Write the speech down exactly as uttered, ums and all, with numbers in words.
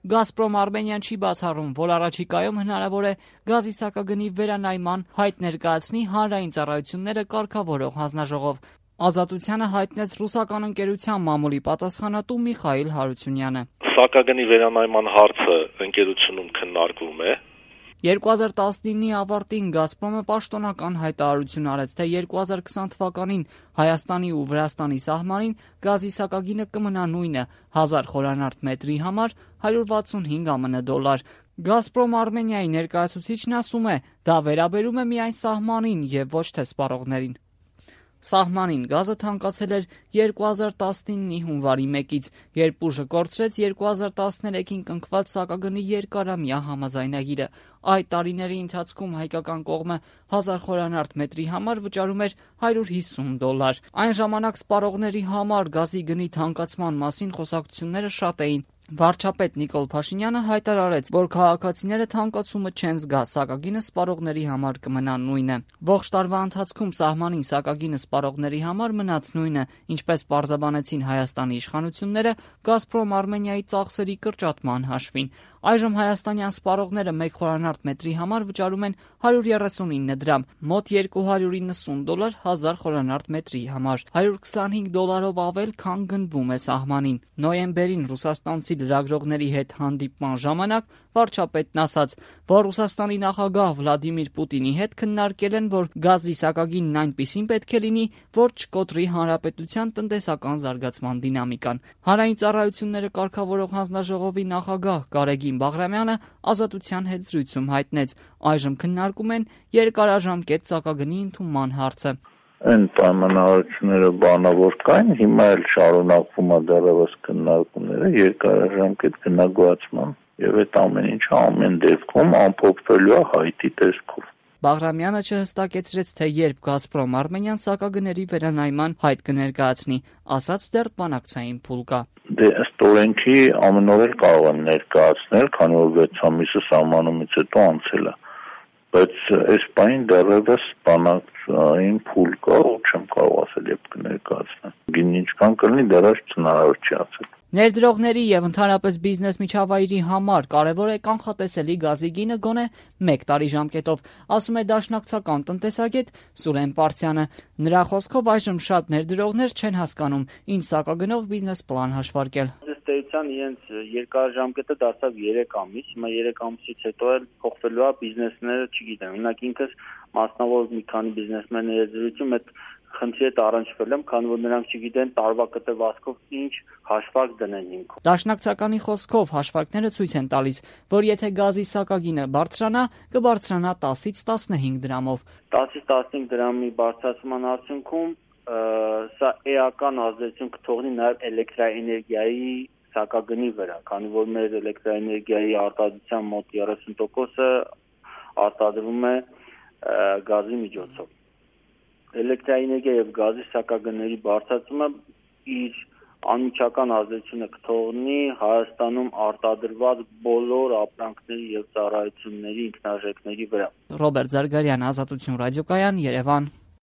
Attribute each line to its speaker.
Speaker 1: Գազպրոմ Արմենիան չի բացառում, որ առաջիկայում հնարավոր է գազի սակագնի վերանայման հայտ ներկայացնի հանրային ծառայությունները կարգավորող հանձնաժողով։ Ազատությանը հայտնեց ռուսական ընկերության մամուլի պատասխանատու Միխայիլ Հարությունյանը։
Speaker 2: Սակագնի վերանայման հարցը ընկերությունում քննարկվում է։
Speaker 1: երկու հազար տասնինի ավարտին Գազպրոմը պաշտոնական հայտարարություն արեց, թե երկու հազար քսան թվականին Հայաստանի ու Վրաստանի սահմանին գազի սակագինը կմնա նույնը՝ հազար խորանարդ մետրի համար հարյուր վաթսունհինգ ԱՄՆ դոլար։ Գազպրոմ Արմենիայի ներկայացուցիչն ասում է, դա վերաբերում է միայն սահմանին եւ ոչ թե սպառողներին։ Սահմանին գազը թանկացել էր երկու հազար տասնինի հունվարի մեկից, երբ ուժը կորցրեց երկու հազար տասներեքին կնքված սակագնի երկարամյա համաձայնագիրը։ Այդ տարիների ընթացքում հայկական կողմը հազար խորանարդ մետրի համար վճարում էր հարյուր հիսուն դոլար։ Այն ժամանակ սպառողների համար գազի գնի թանկացման մասին խոսակցությունները շատ էին։ Վարչապետ Նիկոլ Փաշինյանը հայտարարեց, որ քաղաքացիները թանկացումը չեն զգա, սակագինը սպառողների համար կմնա նույնը։ Ողջ տարվա ընթացքում սահմանին սակագինը սպառողների համար մնաց նույնը, ինչպես պարզաբանեցին Հայաստանի իշխանությունները Գազպրոմ Արմենիայի ծախսերի կրճատման հաշվին։ Այժմ հայաստանյան սպառողները մեկ խորանարդ մետրի համար վճարում են հարյուր երեսունինը դրամ, մոտ երկու հարյուր իննսուն դոլար հազար խորանարդ մետրի համար, հարյուր քսանհինգ դոլարով ավել, քան գնվում է սահմանին։ Նոյեմբերին ռուսաստանցի լրագրողների հետ հանդիպման ժամանակ վարչապետն ասաց, որ Ռուսաստանի նախագահ Վլադիմիր Պուտինի հետ քննարկել են, որ գազի սակագինն այնպիսին պետք է լինի, որ չկոտրի հանրապետության տնտեսական զարգացման դինամիկան։ Հանրային ծառայությունները կարգավորող հանձնաժողովի նախագահ Գարեգին Բաղրամյանը Ազատության հետ զրույցում հայտնեց, այժմ քննարկում են երկարաժամկետ սակագնի ընդունման հարցը։
Speaker 3: Այն պայմանավորությունները բանավոր կային, հիմա էլ շարունակվում է դեռևս քննարկումները երկարաժամկետ գնագոյացման եւ այդ ամեն ինչը ամեն դեպքում ամփոփվելու է հայտի տեսքով։
Speaker 1: Բաղրամյանը չհստակեցրեց, թե երբ Գազպրոմ Արմենիան սակագների վերանայման հայտ կներկայացնի, ասաց դեռ բանակցային փուլ կա։
Speaker 3: Դե ըստ օրենքի ամեն օր էլ կարող են ներկայացնել, քանի որ վեց ամիսը սահմանումից հետո անցել է։ Բայց այս բանին դեռևս բանակցային փուլ կա, ու չեմ կարող ասել, երբ կներկայացնեն։ Գինը ինչքան կլինի, դեռևս հնարավոր չի ասել։
Speaker 1: Ներդրողների եւ ընդհանրապես բիզնես միջավայրի համար կարևոր է կանխատեսելի գազի գինը գոնե մեկ տարի ժամկետով, ասում է դաշնակցական տնտեսագետ Սուրեն Պարսյանը։ Նրա խոսքով այժմ շատ ներդրողներ չեն հասկանում ինչ սակագնով բիզնես պլան հաշվարկել։
Speaker 4: Ըստ իրենց երկարաժամկետը դարձավ երեք ամիս, հիմա երեք ամսից հետո էլ փոխվելու է բիզնեսները, չգիտեմ, օրինակ ինքս մասնավոր մի քանի բիզնեսմենների զրույցում այդ խնդրի հետ առնչվել եմ, քանի որ նրանք չգիտեն տարվա կտրվածքով ինչ հաշվարկ դնեն հիմքում։
Speaker 1: Դաշնակցականի խոսքով հաշվարկները ցույց են տալիս, որ եթե գազի սակագինը բարձրանա, կբարձրանա տասից տասնհինգ դրամով։
Speaker 4: տասից տասնհինգ դրամի բարձրացման արդյունքում սա էական ազդեցություն կթողնի նաև էլեկտրաէներգիայի սակագնի վրա, քանի որ մեր էլեկտրաէներգիայի արտադրության մոտ երեսուն տոկոսը արտադրվում է գազի միջոցով։ Էլեկտրաէներգիա եւ գազի սակագների բարձրացումը իր անմիջական ազդեցությունը կթողնի Հայաստանում արտադրված բոլոր ապրանքների եւ ծառայությունների ինքնարժեքների վրա։
Speaker 1: Ռոբերտ Զարգարյան, Ազատություն ռադիոկայան, Երևան։